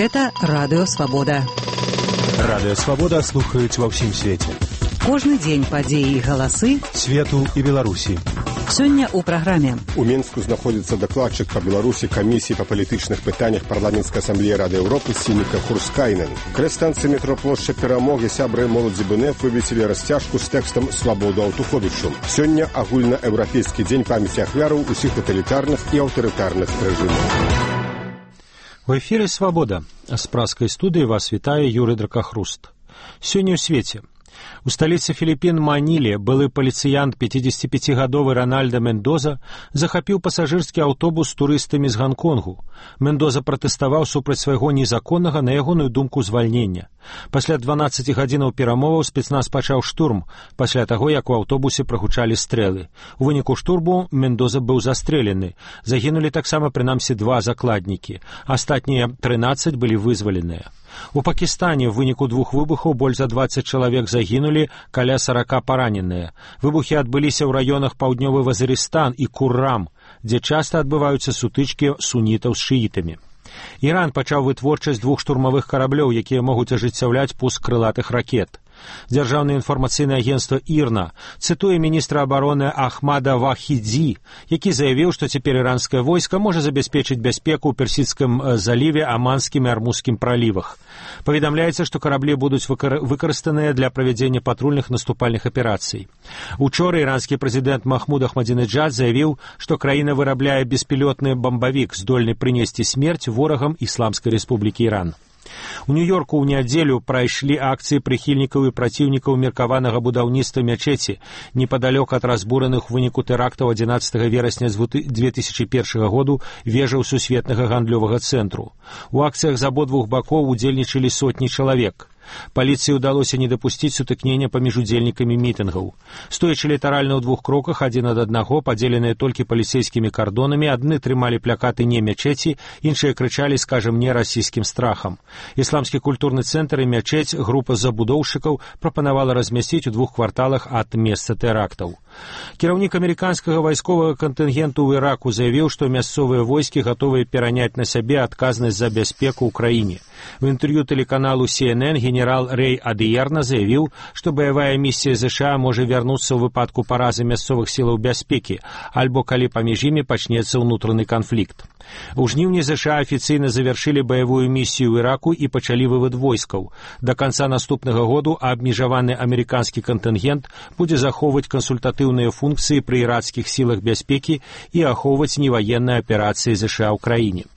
Гэта Радыё Свабода. Радыё Свабода слухаюць ва ўсім свеце. Кожны дзень падзеі і галасы свету і Беларусі. Сёння ў праграме. У Мінску знаходзіцца дакладчык па Беларусі камісіі па палітычных пытаннях парламенцкай асамблеі Рады Еўропы Сініка Хурскайнен. Каля станцыі метро плошча Перамогі сябры моладзі БНФ вывесілі расцяжку з тэкстам «Свабоду Аўтуховічу». Сёння агульнаеўрапейскі дзень памяці ахвяраў усіх таталітарных і аўтарытарных рэжымаў. У эфіры «Свабода». З праскай студыі вас вітае Юрый Дракахруст. Сёння ў свеце. У сталіцы Філіпін Маніле былы паліцыянт 55гадовы Рональда Мендоза захапіў пасажырскі аўтобус з турыстамі з Ганконгу. Мендоза пратэставаў супраць свайго незаконнага, на ягоную думку, звальнення. Пасля 12 гадзінаў перамоваў спецназ пачаў штурм, пасля таго, як у аўтобусе прагучалі стрэлы. У выніку штурму Мендоза быў застрэлены. Загінулі таксама прынамсі 2 закладнікі. Астатнія 13 былі вызваленыя. У Пакістане в выніку 2 выбухаў больш за 20 чалавек загінулі, каля 40 параненыя. Выбухі адбыліся ў раёнах паўднёвы Вазырыстан і Куррам, дзе часта адбываюцца сутычкі сунітаў з шыітамі. Іран пачаў вытворчасць 2 штурмавых караблёў, якія могуць ажыццяўляць пуск крылатых ракет. Дзяржаўнае інфармацыйнае агенцтва ІРНА цытуе міністра абароны Ахмада Вахідзі, які заявіў, што цяпер іранскае войска можа забяспечыць бяспеку ў Персідскім заліве, Аманскім і Армузскім пралівах. Паведамляецца, што караблі будуць выкарыстаныя для правядзення патрульных наступальных аперацый. Учора іранскі прэзідэнт Махмуд Ахмадзінеджад заявіў, што краіна вырабляе беспілётны бамбавік, здольны прынесці смерць ворагам Ісламскай Рэспублікі Іран. У Нью-Йорку ў нядзелю прайшлі акцыі прыхільнікаў і праціўнікаў меркаванага будаўніцтва мячэці непадалёк ад разбураных у выніку тэрактаў 11 верасня 2001 году вежаў сусветнага гандлёвага цэнтру. У акцыях з абодвух бакоў удзельнічалі сотні чалавек. Паліцыі ўдалося не дапусціць сутыкнення паміж удзельнікамі мітынгаў. Стоячы літаральна ў 2 кроках адзін ад аднаго, падзеленыя толькі паліцэйскімі кардонамі, адны трымалі плакаты «Не мячэці», іншыя крычалі «Скажем не расійскім страхам». Ісламскі культурны цэнтр і мячэць група забудоўшчыкаў прапанавала размясціць у 2 кварталах ад месца тэрактаў. Кіраўнік амерыканскага вайсковага кантынгенту ў Іраку заявіў, што мясцовыя войскі гатовыя пераняць на сябе адказнасць за бяспеку ў краіне. В інтэрв'ю тэлеканалу CNN генерал Рэй Адыерна заявіў, што баявая місія ЗША можа вярнуцца ў выпадку паразы мясцовых сілаў бяспекі, альбо калі паміж імі пачнецца ўнутраны канфлікт. У жніўні ЗША афіцыйна завяршылі баявую місію ў Іраку і пачалі вывад войскаў. Да канца наступнага году абмежаваны амерыканскі кантынгент будзе захоўваць кансультатыўныя функцыі пры іракскіх сілах бяспекі і ахоўваць неваенныя аперацыі ЗША ў краіне.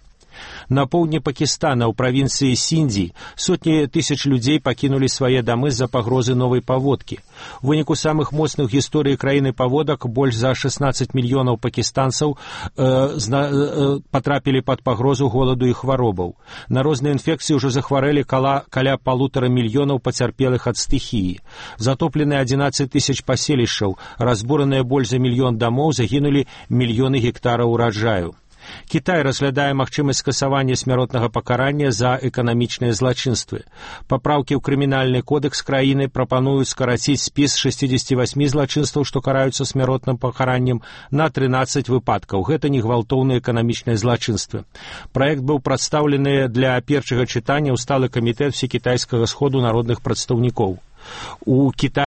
На поўдні Пакістана ў правінцыі Сіндзі сотні тысяч людзей пакінулі свае дамы з-за пагрозы новай паводкі. У выніку самых моцных гісторый краіны паводак больш за 16 мільёнаў пакістанцаў патрапілі пад пагрозу голаду і хваробаў. На розныя інфекцыі ўжо захварэлі каля 1,5 мільёнаў пацярпелых ад стыхіі. Затоплены 11 тысяч паселішчаў, разбураныя больш за 1 мільён дамоў, загінулі мільёны гектараў ураджаю. Кітай разглядае магчымасць скасавання смяротнага пакарання за эканамічныя злачынствы. Папраўкі ў крымінальны кодэкс краіны прапануюць скараціць спіс 68 злачынстваў, што караюцца смяротным пакараннем, на 13 выпадкаў. Гэта не гвалтоўныя эканамічныя злачынствы. Праект быў прадстаўлены для першага чытання ў сталы камітэт всекітайскага сходу народных прадстаўнікоў. У Кітаі